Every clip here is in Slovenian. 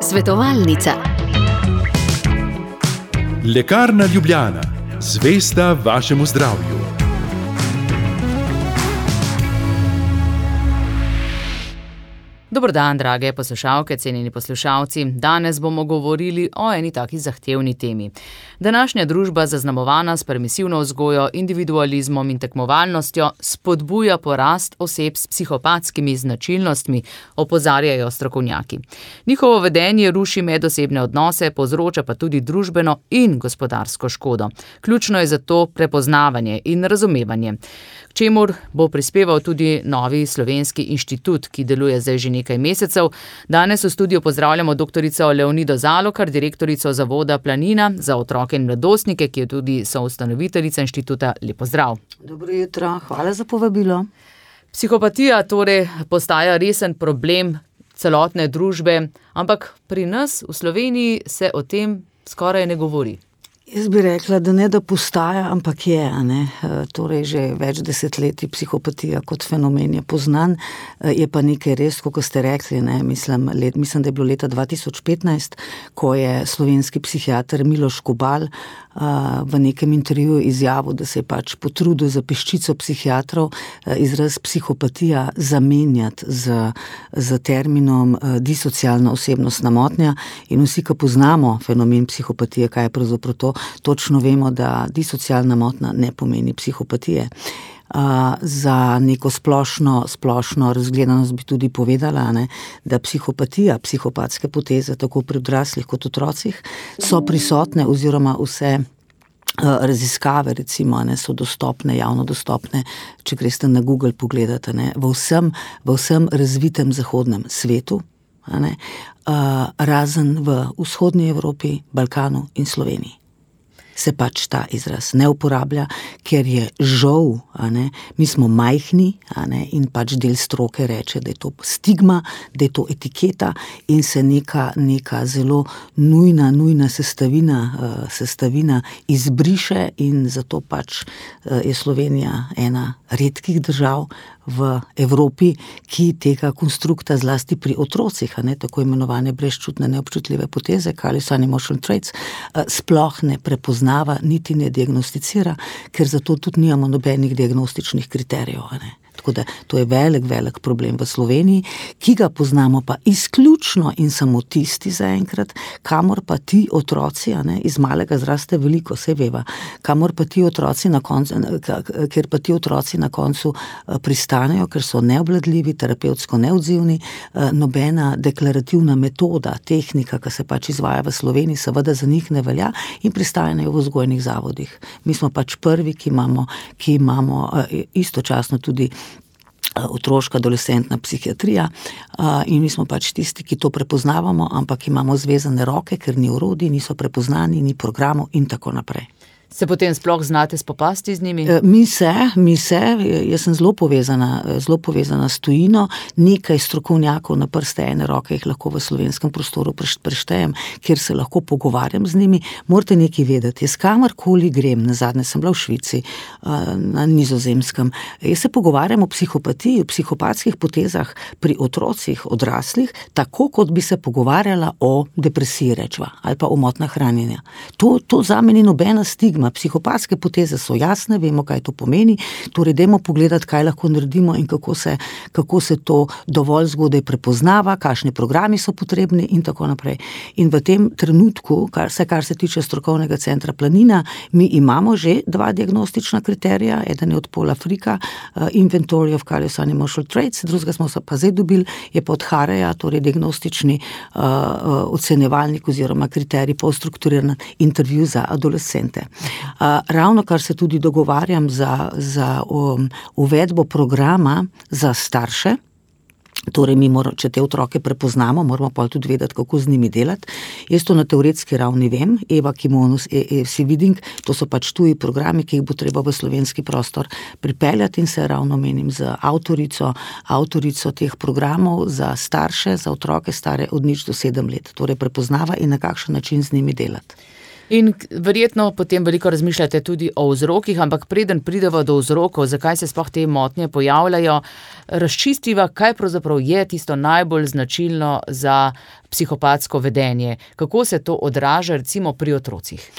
Svetovalnica. Lekarna Ljubljana, zvesta vašemu zdravju. Dober dan, drage poslušalke, cenjeni poslušalci. Danes bomo govorili o eni taki zahtevni temi. Današnja družba, zaznamovana s permisivno vzgojo, individualizmom in tekmovalnostjo, spodbuja porast oseb s psihopatskimi značilnostmi, opozarjajo strokovnjaki. Njihovo vedenje ruši medosebne odnose, povzroča pa tudi družbeno in gospodarsko škodo. Ključno je zato prepoznavanje in razumevanje, k čemur bo prispeval tudi novi slovenski inštitut, ki deluje zdaj že nekaj mesecev. Danes v studiu pozdravljamo doktorico Leonido Zalokar, direktorico Zavoda Planina za otroke in mladostnike, ki je tudi soustanoviteljica inštituta. Lep pozdrav. Dobro jutro, hvala za povabilo. Psihopatija torej postaja resen problem celotne družbe, ampak pri nas v Sloveniji se o tem skoraj ne govori. Jaz bi rekla, da ne da postaja, ampak je, ne. Torej že več desetletij psihopatija kot fenomen je poznan, je pa nekaj res, kot ste rekli, ne, mislim, da je bilo leta 2015, ko je slovenski psihiater Miloš Kobal v nekem intervjuju izjavil, da se je pač potrudil za peščico psihiatrov izraz psihopatija zamenjati z terminom disocialna osebnostna motnja, in vsi, ki poznamo fenomen psihopatije, kaj je pravzaprav to, točno vemo, da disocialna motnja ne pomeni psihopatije. Za neko splošno razgledanost bi tudi povedala, ne, da psihopatija, psihopatske poteze, tako pri odraslih kot otrocih, so prisotne oziroma vse raziskave, recimo, ne, so dostopne, javno dostopne, če greste na Google pogledate, ne, v vsem razvitem zahodnem svetu, ne, razen v vzhodni Evropi, Balkanu in Sloveniji. Se pač ta izraz ne uporablja, ker je žal, mi smo majhni, in pač del stroke reče, da je to stigma, da je to etiketa in se neka zelo nujna sestavina izbriše, in zato pač je Slovenija ena redkih držav v Evropi, ki tega konstrukta zlasti pri otrocih, tako imenovane brezčutne neobčutljive poteze, callous unemotional traits, sploh ne prepoznava, niti ne diagnosticira, ker zato tudi nimamo nobenih diagnostičnih kriterijev, Tako da to je velik problem v Sloveniji, ki ga poznamo pa izključno in samo tisti zaenkrat, kamor pa ti otroci, iz malega zraste veliko, saj veva, kamor pa ti otroci kjer pa ti otroci na koncu pristanejo, ker so neobvladljivi, terapevtsko neodzivni, nobena deklarativna metoda, tehnika, ki se pač izvaja v Sloveniji, seveda za njih ne velja in pristanejo v vzgojnih zavodih. Mi smo pač prvi, ki imamo istočasno tudi otroška adolescentna psihiatrija, in mi smo pač tisti, ki to prepoznavamo, ampak imamo zvezane roke, ker ni orodij, niso prepoznani, ni programov in tako naprej. Se potem sploh znate spopasti z njimi? Mi se, jaz sem zelo povezana s tujino, nekaj strokovnjakov na prste ene roke jih lahko v slovenskem prostoru preštejem, kjer se lahko pogovarjam z njimi. Morate nekaj vedeti, jaz kamorkoli grem, nazadnje sem bila v Švici, na Nizozemskem, jaz se pogovarjam o psihopatiji, o psihopatskih potezah pri otrocih, odraslih, tako kot bi se pogovarjala o depresiji, rečva, ali pa o motnjah hranjenja. To zame ni nobena stigma. Psihopatske poteze so jasne, vemo, kaj to pomeni, torej dajmo pogledati, kaj lahko naredimo in kako se to dovolj zgodaj prepoznava, kakšni programi so potrebni in tako naprej. In v tem trenutku, kar se tiče strokovnega centra Planina, mi imamo že 2 diagnostična kriterija, eden je od Paula Fricka, Inventory of Callous Unemotional Traits, drugega smo se pa zdaj dobili, je pa od Hareja, torej diagnostični ocenjevalnik oziroma kriterij polstrukturiran intervju za adolescente. Ravno kar se tudi dogovarjam za uvedbo programa za starše, torej če te otroke prepoznamo, moramo pa tudi vedeti, kako z njimi delati. Jaz to na teoretski ravni vem, Eva Kimonus, Sividing, to so pač tuji programi, ki jih bo treba v slovenski prostor pripeljati, in se ravno menim z avtorico teh programov za starše, za otroke stare od 0 do 7 let, torej prepoznava in na kakšen način z njimi delati. In verjetno potem veliko razmišljate tudi o vzrokih, ampak preden pridemo do vzrokov, zakaj se sploh te motnje pojavljajo, razčistiva, kaj pravzaprav je tisto najbolj značilno za psihopatsko vedenje. Kako se to odraža recimo pri otrocih?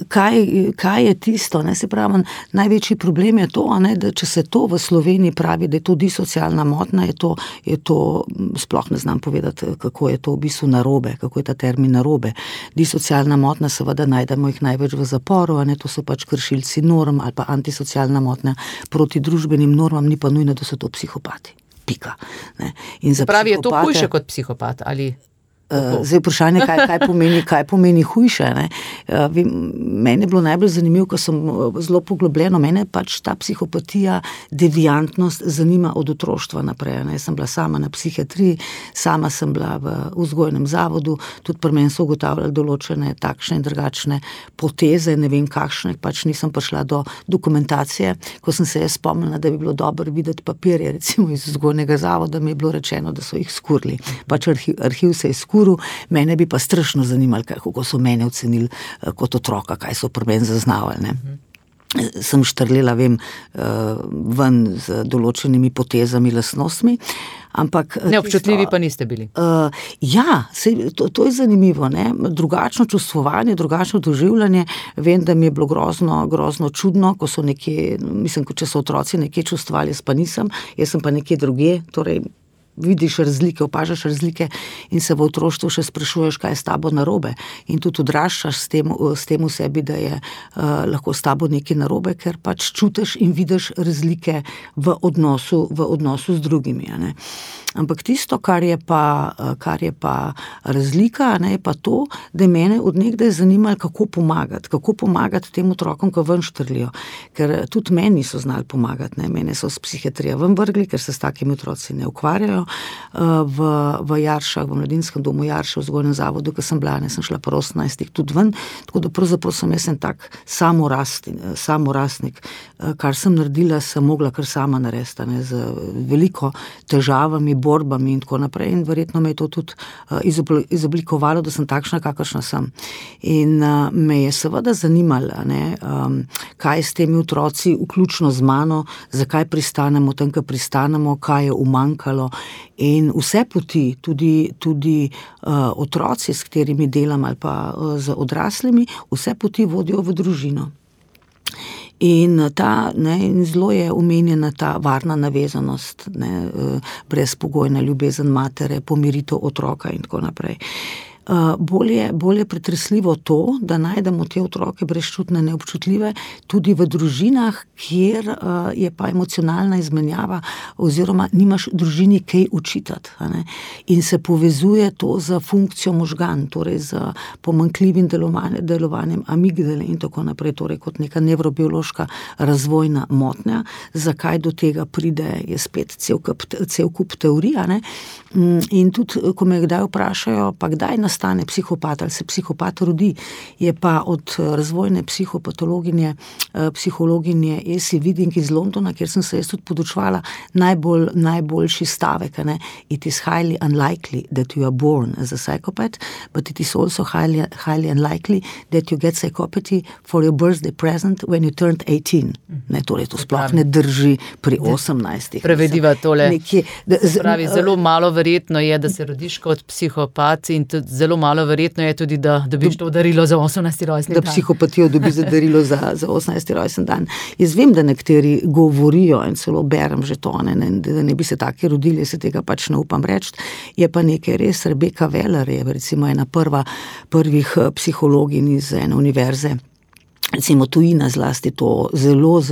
Kaj je tisto, ne, se pravi, največji problem je to, ne, da če se to v Sloveniji pravi, da je to disocialna motnja, je to, sploh ne znam povedati, kako je to v bistvu narobe, kako je ta termin narobe. Disocialna motnja, seveda najdemo jih največ v zaporu, ne, to so pač kršilci norm ali pa antisocialna motnja proti družbenim normam, ni pa nujno, da so to psihopati. Pika. Ne. In za pravi, je to hujše kot psihopat ali... Zdaj vprašanje, kaj pomeni hujše. Ne? Meni je bilo najbolj zanimivo, ko sem zelo poglobljeno, mene pač ta psihopatija, deviantnost zanima od otroštva naprej. Ne? Jaz sem bila sama na psihiatriji, sama sem bila v vzgojnem zavodu, tudi pri meni so ugotavljali določene takšne in drugačne poteze, ne vem kakšne, pač nisem prišla do dokumentacije. Ko sem se jaz spomnila, da bi bilo dobro videti papirje, recimo iz vzgojnega zavoda, mi je bilo rečeno, da so jih skurili. Pač arhiv se je skuril. Mene bi pa strašno zanimali, kako so mene ocenili kot otroka, kaj so pri meni zaznavali. Ne. Sem štrlela, ven z določenimi potezami, lastnostmi, ampak... Neobčutljivi pa niste bili. To je zanimivo, ne. Drugačno čustvovanje, drugačno doživljanje, vem, da mi je bilo grozno čudno, ko so nekje, če so otroci nekje čustvali, jaz pa nisem, jaz sem pa nekje drugje, torej vidiš razlike, opažaš razlike in se v otroštvu še sprašuješ, kaj je s tabo narobe. In tudi odraščaš s tem v sebi, da je lahko s tabo nekaj narobe, ker pač čutiš in vidiš razlike v odnosu z drugimi. Ne. Ampak tisto, kar je pa razlika, ne, je pa to, da je mene od nekdaj zanimalo, kako pomagati tem otrokom, ko ven štrlijo. Ker tudi meni niso znali pomagati, ne. Mene so s psihiatrije ven vrgli, ker se s takimi otroci ne ukvarjajo. V Jaršah, v mladinskem domu Jarše, v vzgojnem zavodu, ko sem bila, ne, sem šla pa 18 tudi ven, tako da pravzaprav sem jaz en tak samorastnik. Kar sem naredila, sem mogla kar sama narediti, ne, z veliko težavami, borbami in tako naprej, in verjetno me je to tudi izoblikovalo, da sem takšna, kakršna sem. In me je seveda zanimalo, ne, kaj s temi otroci, vključno z mano, zakaj pristanemo tam, kar pristanemo, kaj je umanjkalo. In vse poti, tudi otroci, s katerimi delam ali pa z odraslimi, vse poti vodijo v družino. In zelo je omenjena ta varna navezanost, ne, brezpogojna ljubezen matere, pomiritev otroka in tako naprej. Bolj je pretresljivo to, da najdemo te otroke brezčutne, neobčutljive tudi v družinah, kjer je pa emocionalna izmenjava oziroma nimaš družini kaj učitati. Ne? In se povezuje to z funkcijo možgan, torej z pomanjkljivim delovanjem amigdale in tako naprej, torej kot neka nevrobiološka razvojna motnja. Zakaj do tega pride, je spet cel kup teorij, ne? In tudi, ko me kdaj vprašajo, pa kdaj nastane psihopat, ali se psihopat rodi, je pa od razvojne psihologinje Esi Viding iz Londona, kjer sem se jaz tudi podučevala, najboljši stavek, ne? It is highly unlikely that you are born as a psychopath, but it is also highly unlikely that you get psychopathy for your birthday present when you turned 18. Ne, torej to sploh ne drži pri 18. Prevediva tole. Pravi, zelo malo verjetno je, da se rodiš kot psihopat in tudi zelo malo verjetno je tudi, da dobiš to darilo za 18. rojstni dan. Da psihopatijo dobi za darilo za 18. rojstni dan. Jaz vem, da nekateri govorijo in celo berem že to, da ne bi se taki rodili, se tega pač ne upam reči. Je pa nekaj res, Rebecca Weller je recimo ena prvih psihologin iz ene univerze, recimo tujina zlasti to zelo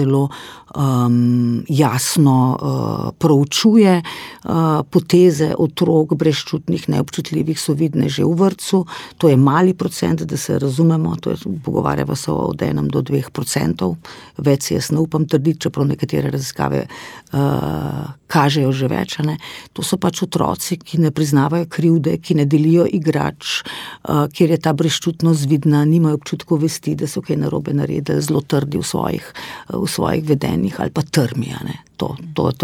jasno proučuje, poteze otrok brezčutnih, neobčutljivih so vidne že v vrtcu, to je mali procent, da se razumemo, to je, pogovarjava se od 1 do 2%, več jaz ne upam trditi, čeprav nekatere raziskave kažejo že več, ne. To so pač otroci, ki ne priznavajo krivde, ki ne delijo igrač, kjer je ta brezčutnost vidna, nimajo občutkov vesti, da so kaj narobe narobe naredili, zelo trdi v svojih vedenjih ali pa trmi, ne. To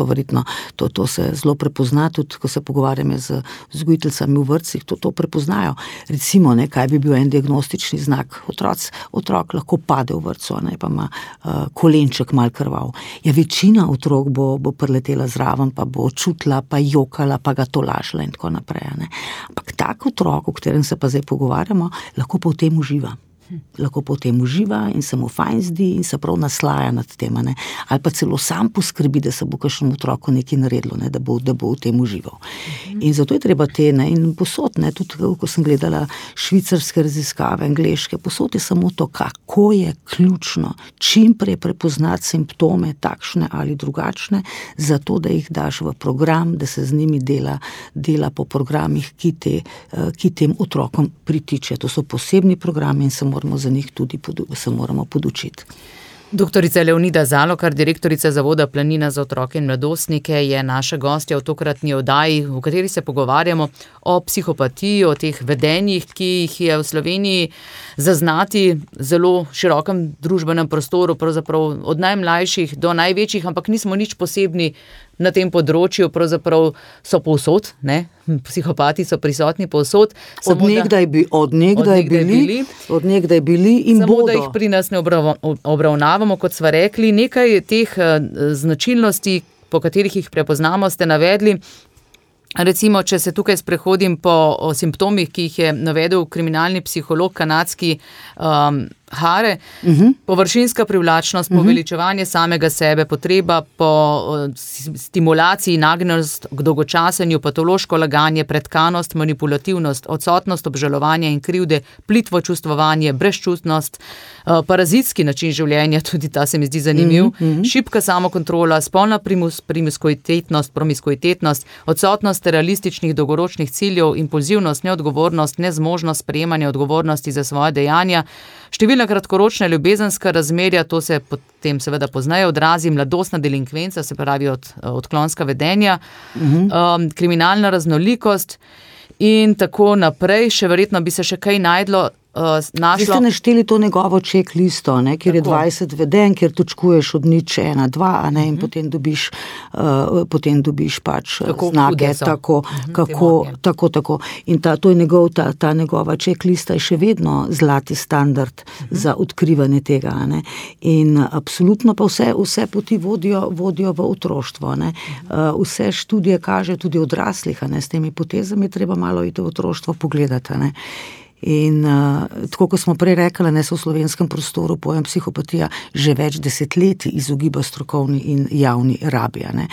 verjetno, to se zelo prepozna, tudi ko se pogovarjame z vzgojiteljicami v vrtcih, to prepoznajo. Recimo, ne, kaj bi bil en diagnostični znak. Otrok lahko pade v vrtcu, ne, pa ima kolenček mal krvav. Ja, večina otrok bo priletela zraven, pa bo čutila, pa jokala, pa ga tolažila in tako naprej, ne. Ampak tak otrok, o katerem se pa zdaj pogovarjamo, lahko pa v tem uživa. In se mu fajn zdi in se prav naslaja nad tem, ne. Ali pa celo sam poskrbi, da se bo kakšnemu otroku nekaj naredilo, ne, da bo v tem užival. In zato je treba ne, in posod, ne, tudi ko sem gledala švicarske raziskave, angleške, posod je samo to, kako je ključno čim prej prepoznati simptome, takšne ali drugačne, zato da jih daš v program, da se z njimi dela po programih, ki tem otrokom pritiče. To so posebni programi in se moramo za njih tudi podučiti. Doktorica Leonida Zalokar, direktorica Zavoda Planina za otroke in mladostnike, je naša gostja v tokratni oddaji, v kateri se pogovarjamo o psihopatiji, o teh vedenjih, ki jih je v Sloveniji zaznati zelo širokem družbenem prostoru, pravzaprav od najmlajših do največjih, ampak nismo nič posebni na tem področju, pravzaprav so povsod, ne? Psihopati so prisotni povsod. Od nekdaj bili in samo, bodo. Da jih pri nas ne obravnavamo, kot sva rekli. Nekaj teh značilnosti, po katerih jih prepoznamo, ste navedli. Recimo, če se tukaj sprehodim po simptomih, ki jih je navedel kriminalni psiholog kanadski Hare, površinska privlačnost, poveličevanje samega sebe, potreba po stimulaciji, nagnjenost k dolgočasenju, patološko laganje, pretkanost, manipulativnost, odsotnost obžalovanja in krivde, plitvo čustvovanje, brezčutnost, parazitski način življenja, tudi ta se mi zdi zanimiv, šibka samokontrola, spolna promiskuitetnost, odsotnost realističnih dolgoročnih ciljev, impulzivnost, neodgovornost, nezmožnost sprejemanja odgovornosti za svoje dejanja, številna kratkoročna ljubezenska razmerja, to se potem seveda pozneje odrazi, mladostna delinkvenca, se pravi odklonska vedenja, kriminalna raznolikost in tako naprej. Še verjetno bi se še kaj našlo. Vi ste našteli to njegovo checklisto, ne, kjer je 20 vedenj, kjer točkuješ od 0, 1, 2, ne, in potem dobiš pač znake, tako. In to je ta njegova checklista je še vedno zlati standard za odkrivanje tega, ne. In absolutno pa vse poti vodijo v otroštvo, ne. Vse študije kaže tudi odraslih, ne, s temi potezami treba malo iti v otroštvo pogledati, ne. In tako, kot smo prej rekli, ne, se v slovenskem prostoru pojem psihopatija že več desetletij izogiba strokovni in javni rabi, ne.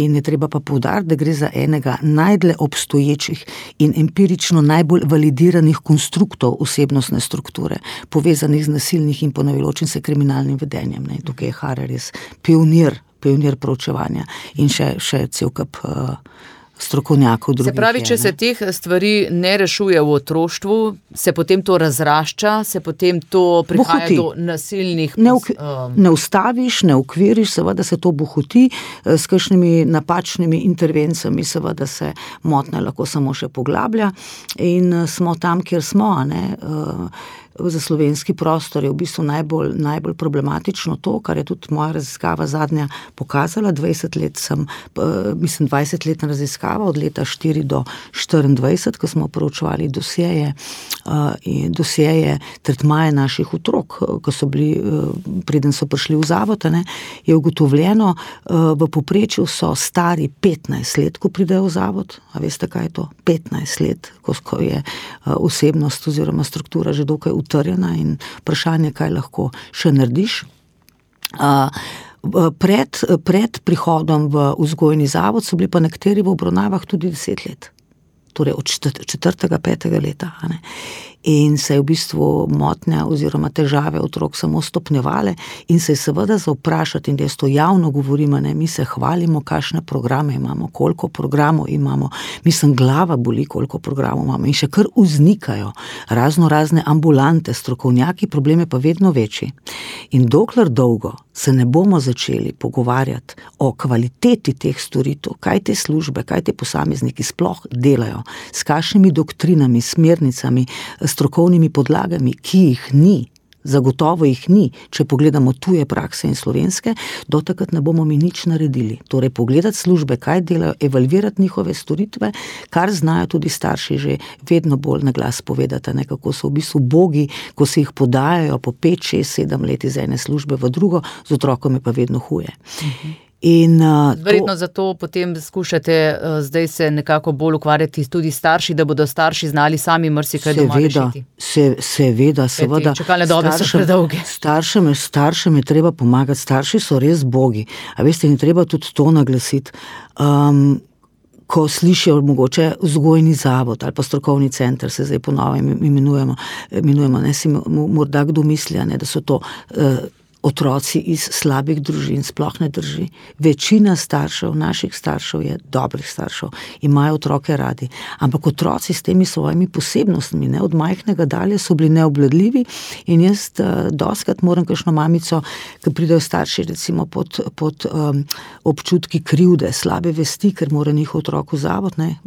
In je treba pa poudariti, da gre za enega najdlje obstoječih in empirično najbolj validiranih konstruktov osebnostne strukture, povezanih z nasilnih in ponavljajočim se kriminalnim vedenjem, ne. Tukaj je Hare res pionir proučevanja in še cel kup strokovnjakov drugih. Se pravi, če se teh stvari ne rešuje v otroštvu, se potem to razrašča, se potem to prihaja do nasilnih... Ne ustaviš, ne ukviriš, seveda se to bohoti, s kakšnimi napačnimi intervencijami seveda se motnja lahko samo še poglablja in smo tam, kjer smo, ne. Za slovenski prostor je v bistvu najbolj problematično to, kar je tudi moja raziskava zadnja pokazala. 20-letna raziskava od leta 4 do 24, ko smo proučevali dosjeje tretmaje naših otrok, ko so bili, preden so prišli v zavod, ne, je ugotovljeno, v povprečju so stari 15 let, ko pridejo v zavod. A veste, kaj je to? 15 let, ko je osebnost oziroma struktura že dokaj utrjena in vprašanje, kaj lahko še narediš. Pred prihodom v vzgojni zavod so bili pa nekateri v obravnavah tudi 10 let. Torej od 4., 5. leta, ne. In se je v bistvu motnja oziroma težave otrok samo stopnjevale in se je seveda za vprašati, in jaz to javno govorim, ne, mi se hvalimo, kakšne programe imamo, koliko programov imamo, mislim, glava boli, koliko programov imamo in še kar vznikajo razne ambulante, strokovnjaki, problem je pa vedno večji. In dokler dolgo se ne bomo začeli pogovarjati o kvaliteti teh storitev, kaj te službe, kaj te posamezniki sploh delajo, s kakšnimi doktrinami, smernicami, strokovnimi podlagami, ki jih ni zagotovo jih ni, če pogledamo tuje prakse in slovenske, do takrat ne bomo mi nič naredili. Torej pogledati službe, kaj delajo, evalvirati njihove storitve, kar znajo tudi starši že vedno bolj na glas povedati, ne, kako so v bistvu bogi, ko se jih podajajo po 5, 6, 7 let iz ene službe v drugo, z otrokom je pa vedno huje. Verjetno zato potem skušate zdaj se nekako bolj ukvarjati tudi starši, da bodo starši znali sami marsikaj doma rešiti. Seveda. Čakalne dobe so predolge. Staršem je treba pomagati, starši so res bogi. A veste, in treba tudi to naglasiti. Ko slišijo mogoče vzgojni zavod ali pa strokovni center, se zdaj ponovno imenujemo, ne, si morda kdo misli, ne, da so to otroci iz slabih družin, sploh ne drži. Večina staršev, naših staršev je dobrih staršev, imajo otroke radi, ampak otroci s temi svojimi posebnostmi, ne, od majhnega dalje so bili neobvladljivi in jaz dostikrat moram kakšno mamico, ki pridejo starši recimo pod občutki krivde, slabe vesti, ker mora njihov otrok v zavod, ne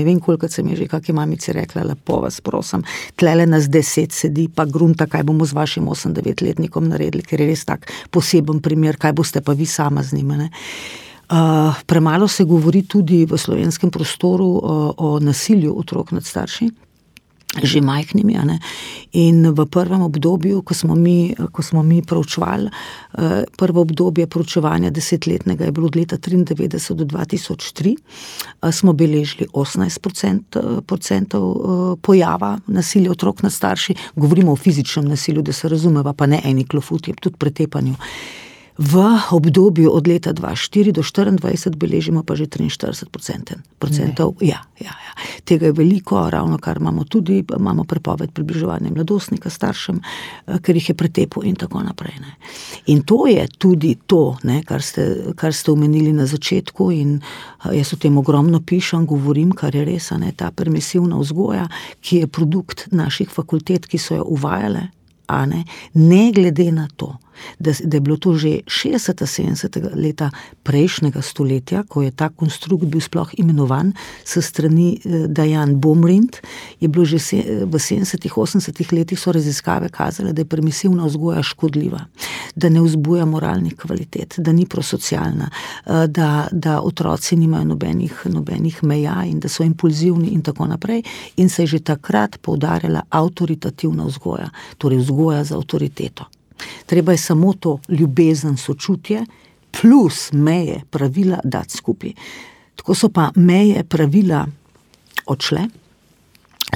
vem kolikrat sem je že kakšni mamici rekla, lepo vas prosim, tlele nas 10 sedi, pa grunta, kaj bomo z vašim 8-9-letnikom naredili, ker je res tak poseben primer, kaj boste pa vi sama z njima. Premalo se govori tudi v slovenskem prostoru o nasilju otrok nad starši, že majhnimi, a ne. In v prvem obdobju, ko smo mi proučevali, prvo obdobje proučevanja 10-letnega je bilo od leta 1993 do 2003, smo beležili 18% pojava nasilja otrok nad starši, govorimo o fizičnem nasilju, da se razumeva, pa ne eni klofuti, tudi pretepanju. V obdobju od leta 2004 do 2024 beležimo pa že 43%. Ja. Tega je veliko, ravno kar imamo prepoved približevanja mladostnika staršem, ker jih je pretepal in tako naprej. Ne. In to je tudi to, ne, kar ste omenili na začetku in jaz o tem ogromno pišem, govorim, kar je res, ne, ta permisivna vzgoja, ki je produkt naših fakultet, ki so jo uvajale, ne glede na to, da je bilo to že 60-70 leta prejšnjega stoletja, ko je ta konstrukt bil sploh imenovan s strani Diane Baumrind, je bilo že v 70-80 letih so raziskave kazale, da je permisivna vzgoja škodljiva, da ne vzbuja moralnih kvalitet, da ni prosocialna, da otroci nimajo nobenih meja in da so impulzivni in tako naprej, in se je že takrat poudarjala avtoritativna vzgoja, torej vzgoja za avtoriteto. Treba je samo to ljubezen, sočutje plus meje, pravila dati skupaj. Tako so pa meje, pravila odšle,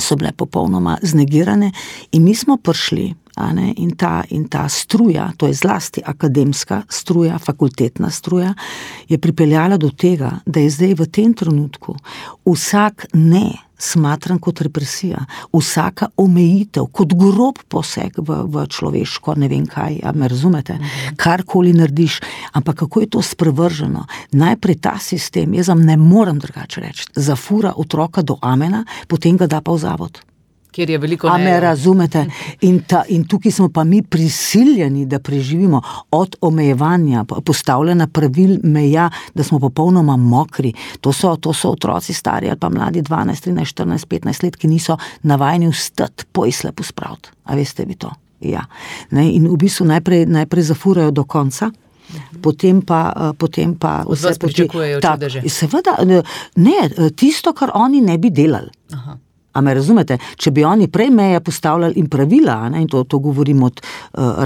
so bile popolnoma znegirane in mi smo prišli, in ta struja, to je zlasti akademska struja, fakultetna struja, je pripeljala do tega, da je zdaj v tem trenutku vsak ne smatran kot represija, vsaka omejitev, kot grob poseg v človeško, ne vem kaj, me razumete, karkoli narediš, ampak kako je to sprevrženo. Najprej ta sistem, jaz vam ne morem drugače reči, zafura otroka do amena, potem ga da pa v zavod. Kjer je veliko A me razumete? In tukaj smo pa mi prisiljeni, da preživimo od omejevanja, postavljena pravil, meja, da smo popolnoma mokri. To so otroci stari ali pa mladi 12, 13, 14, 15 let, ki niso navajeni vstati, pojsle pospraviti. A veste vi to? Ja. Ne? In v bistvu najprej zafurajo do konca, potem pa od vas pričakujejo čudeže. Seveda, ne, tisto, kar oni ne bi delali. Aha. A me razumete? Če bi oni prej meje postavljali in pravila, in to govorim od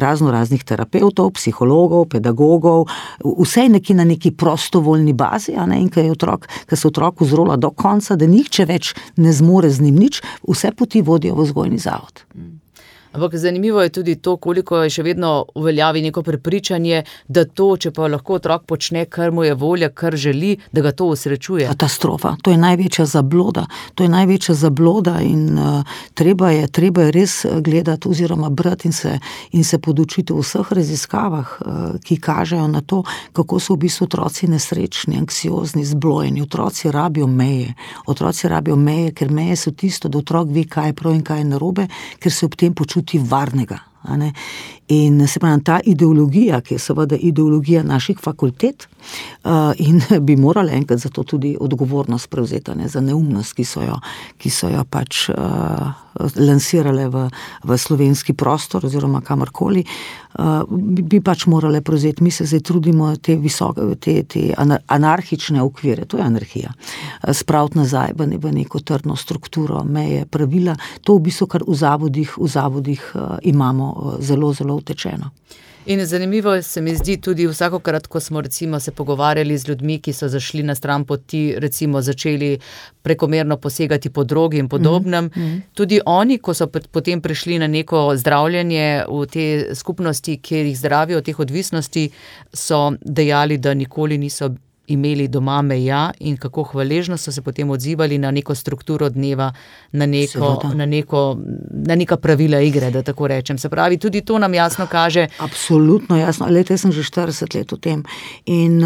raznih terapevtov, psihologov, pedagogov, vse je na neki prostovoljni bazi, in ko se otrok vzrola do konca, da nihče več ne zmore z njim nič, vse poti vodijo v vzgojni zavod. Ampak zanimivo je tudi to, koliko je še vedno uveljavi neko prepričanje, da to, če pa lahko otrok počne, kar mu je volja, kar želi, da ga to usrečuje. Katastrofa, to je največja zabloda in treba je res gledati oziroma brati in se podučiti v vseh raziskavah, ki kažejo na to, kako so v bistvu otroci nesrečni, anksiozni, zblojeni. Otroci rabijo meje, ker meje so tisto, da otrok ve, kaj je prav in kaj je narobe, ker se ob tem počuti varnega. In se pravi, ta ideologija, ki je seveda ideologija naših fakultet, in bi morali enkrat za to tudi odgovornost prevzeti, ne, za neumnost, ki so jo pač lansirale v slovenski prostor oziroma kamorkoli, bi pač morale prevzeti. Mi se zdaj trudimo te anarhične okvire, to je anarhija, spraviti nazaj v neko trdno strukturo, meje, pravila. To v bistvu, kar v zavodih imamo zelo, zelo utečeno. In zanimivo se mi zdi tudi vsakokrat, ko smo recimo se pogovarjali z ljudmi, ki so zašli na stran poti, recimo začeli prekomerno posegati po drogi in podobnem. Tudi oni, ko so potem prišli na neko zdravljenje v te skupnosti, kjer jih zdravijo teh odvisnosti, so dejali, da nikoli niso imeli doma meja in kako hvaležno so se potem odzivali na neko strukturo dneva, na neka pravila igre, da tako rečem. Se pravi, tudi to nam jasno kaže. Absolutno jasno. Lejte, jaz sem že 40 let v tem in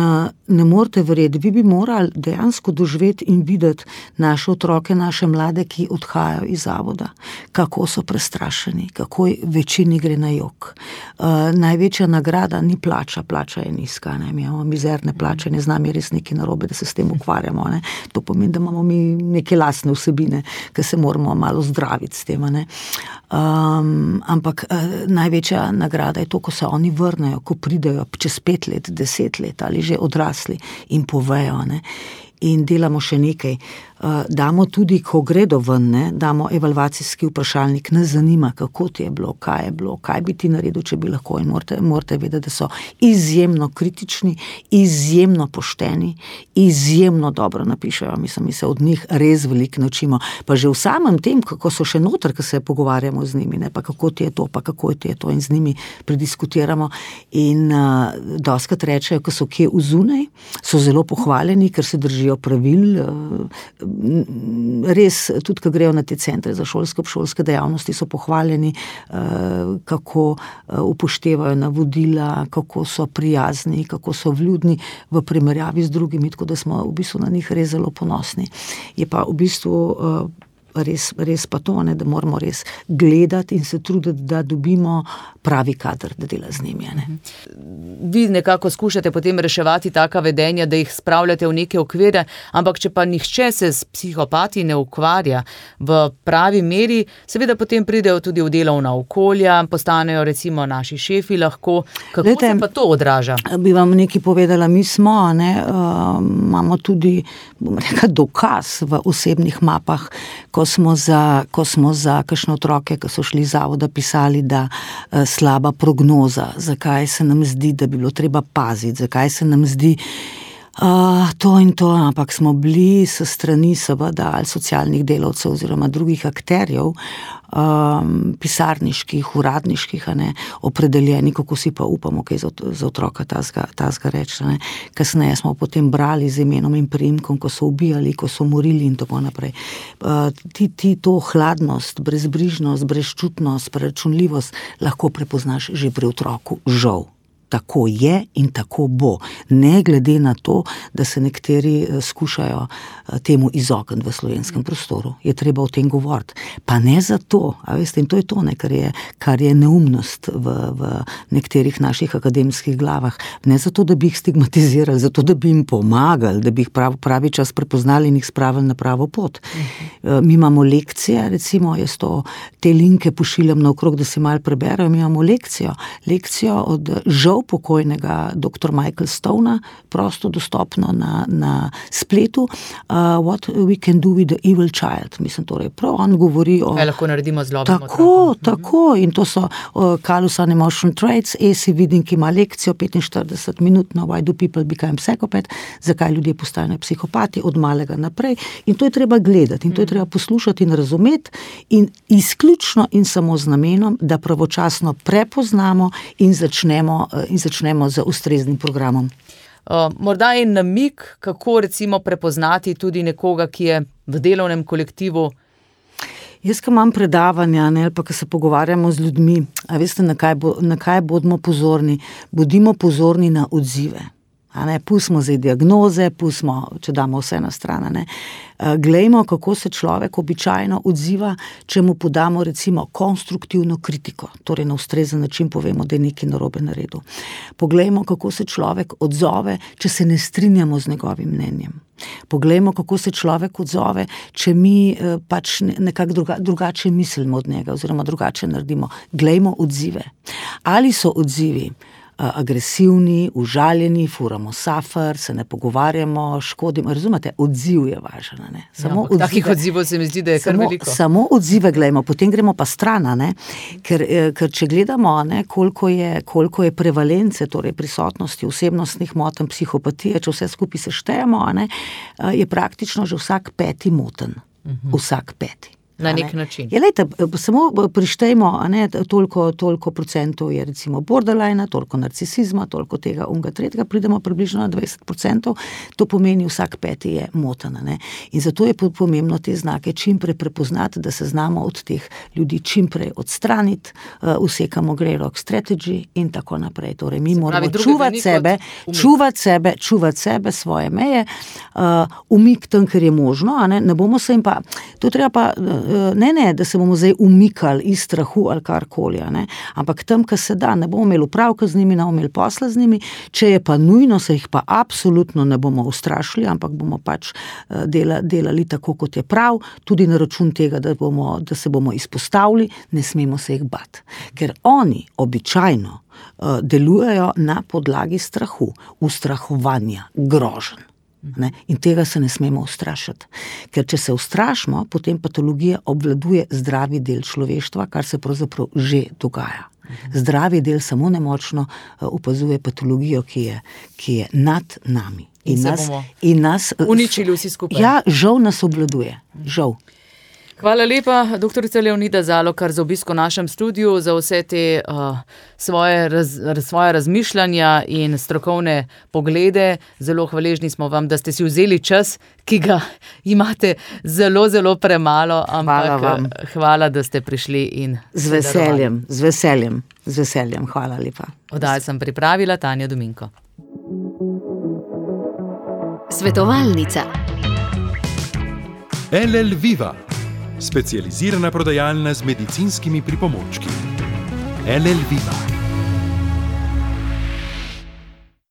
ne morete verjeti, vi bi morali dejansko doživeti in videti naše otroke, naše mlade, ki odhajajo iz zavoda, kako so prestrašeni, kako večini gre na jok. Največja nagrada ni plača je nizka, ne? Mi imamo mizerne plače, ne znam je res nekaj narobe, da se s tem ukvarjamo, ne? To pomeni, da imamo mi neke lastne vsebine, ki se moramo malo zdraviti s tem, ne? Ampak največja nagrada je to, ko se oni vrnejo, ko pridejo čez 5 let, 10 let ali že odrasli in povejo, ne? In delamo še nekaj. Damo tudi, ko gredo ven, ne, damo evalvacijski vprašalnik, nas zanima, kako ti je bilo, kaj bi ti naredil, če bi lahko, in morate vedeti, da so izjemno kritični, izjemno pošteni, izjemno dobro napišejo, mislim, mi se od njih res veliko naučimo, pa že v samem tem, kako so še noter, ko se pogovarjamo z njimi, ne, pa kako ti je to, pa kako ti je to, in z njimi prediskutiramo in dostikrat rečejo, ko so kje vzunaj, so zelo pohvaljeni, ker se držijo pravil, res, tudi ko grejo na te centre za obšolske dejavnosti, so pohvaljeni, kako upoštevajo navodila, kako so prijazni, kako so vljudni v primerjavi z drugimi, tako da smo v bistvu na njih res zelo ponosni. Je pa v bistvu res pa to, ne, da moramo res gledati in se truditi, da dobimo pravi kader, da dela z njimi. Ne. Vi nekako skušate potem reševati taka vedenja, da jih spravljate v neke okvire, ampak če pa nihče se s psihopati ne ukvarja v pravi meri, seveda potem pridejo tudi v delovna okolja, postanejo recimo naši šefi lahko. Kako se pa to odraža? Bi vam nekaj povedala, mi smo, ne, imamo tudi, bom rekla, dokaz v osebnih mapah, ko smo za kakšne otroke, ki so šli iz zavoda, pisali, da slaba prognoza, zakaj se nam zdi, da bi bilo treba paziti, zakaj se nam zdi to in to, ampak smo bili s strani seveda ali socialnih delavcev oziroma drugih akterjev, pisarniških, uradniških, ne, opredeljeni, kako si pa upamo, kaj za otroka tazga reči. Ne. Kasneje smo potem brali z imenom in priimkom, ko so ubijali, ko so morili in tako naprej. Ti to hladnost, brezbrižnost, brezčutnost, preračunljivost lahko prepoznaš že pri otroku, žal. Tako je in tako bo. Ne glede na to, da se nekateri skušajo temu izogniti v slovenskem prostoru. Je treba o tem govoriti. Pa ne zato, a veste, in to je to, ne, kar je neumnost v nekaterih naših akademskih glavah. Ne zato, da bi jih stigmatizirali, zato, da bi jim pomagali, da bi jih pravi čas prepoznali in jih spravili na pravo pot. Mi imamo lekcije, recimo, jaz te linke pošiljam naokrog, da si malo preberajo, mi imamo lekcijo od žal pokojnega dr. Michael Stona, prosto dostopno na spletu, What we can do with the evil child. Mislim, torej, prav on govori o... Kaj lahko naredimo z zlobnim otrokom. Tako, in to so Callous and Emotional Traits, Esi vidim, ki ima lekcijo 45 minut, Why do people become psychopath, zakaj ljudje postajajo psihopati od malega naprej, in to je treba gledati, in to je treba poslušati in razumeti, in izključno in samo z namenom, da pravočasno prepoznamo in začnemo z ustreznim programom. Morda je namig, kako recimo prepoznati tudi nekoga, ki je v delovnem kolektivu. Jaz, ko imam predavanja, ne, ali pa ko se pogovarjamo z ljudmi, a veste, na kaj bodimo pozorni? Bodimo pozorni na odzive. Pustimo zdaj diagnoze, pustimo, če damo vse na stran, glejmo, kako se človek običajno odziva, če mu podamo recimo konstruktivno kritiko, torej na ustrezen način povemo, da je nekaj narobe naredil. Poglejmo, kako se človek odzove, če se ne strinjamo z njegovim mnenjem. Poglejmo, kako se človek odzove, če mi pač nekako drugače mislimo od njega oziroma drugače naredimo. Glejmo odzive. Ali so odzivi agresivni, užaljeni, furamo safr, se ne pogovarjamo, škodimo, razumete, odziv je važen. Takih odzivov se mi zdi, da je kar veliko. Samo odzive glejmo, potem gremo pa stran, ker če gledamo, koliko je prevalence, torej prisotnosti osebnostnih motenj, psihopatije, če vse skupaj seštejemo, je praktično že vsak 5. moten. Vsak 5. Na nek način. Lejte, samo prištejmo, toliko procentov je recimo borderline, toliko narcisizma, toliko tega, tretjega, pridemo približno na 20%, to pomeni vsak 5. je moten. In zato je pomembno te znake čimprej prepoznati, da se znamo od teh ljudi čimprej odstraniti, usekamo grey rock strategy in tako naprej. Torej, mi moramo čuvati sebe, svoje meje, umik tam, ker je možno, ne bomo se jim pa, to treba pa, ne, da se bomo zdaj umikali iz strahu ali karkoli, ampak tam, kar se da, ne bomo imeli upravka z njimi, ne bomo imeli posla z njimi, če je pa nujno, se jih pa absolutno ne bomo ustrašili, ampak bomo pač delali tako, kot je prav, tudi na račun tega, da se bomo izpostavili, ne smemo se jih bati. Ker oni običajno delujejo na podlagi strahu, ustrahovanja, groženj. In tega se ne smemo ustrašiti. Ker če se ustrašimo, potem patologija obvladuje zdravi del človeštva, kar se pravzaprav že dogaja. Zdravi del samo nemočno opazuje patologijo, ki je nad nami. In nas uničili vsi skupaj. Ja, žal nas obvladuje. Žal. Hvala lepa, doktorica Leonida Zalokar, za obisk v našem studiu, za vse te svoje razmišljanja in strokovne poglede. Zelo hvaležni smo vam, da ste si vzeli čas, ki ga imate zelo, zelo premalo, ampak hvala, da ste prišli in z veseljem, hvala lepa. Oddajo sem pripravila Tanja Dominko. Svetovalnica. LL Viva, specializirana prodajalna z medicinskimi pripomočki. LL Viva.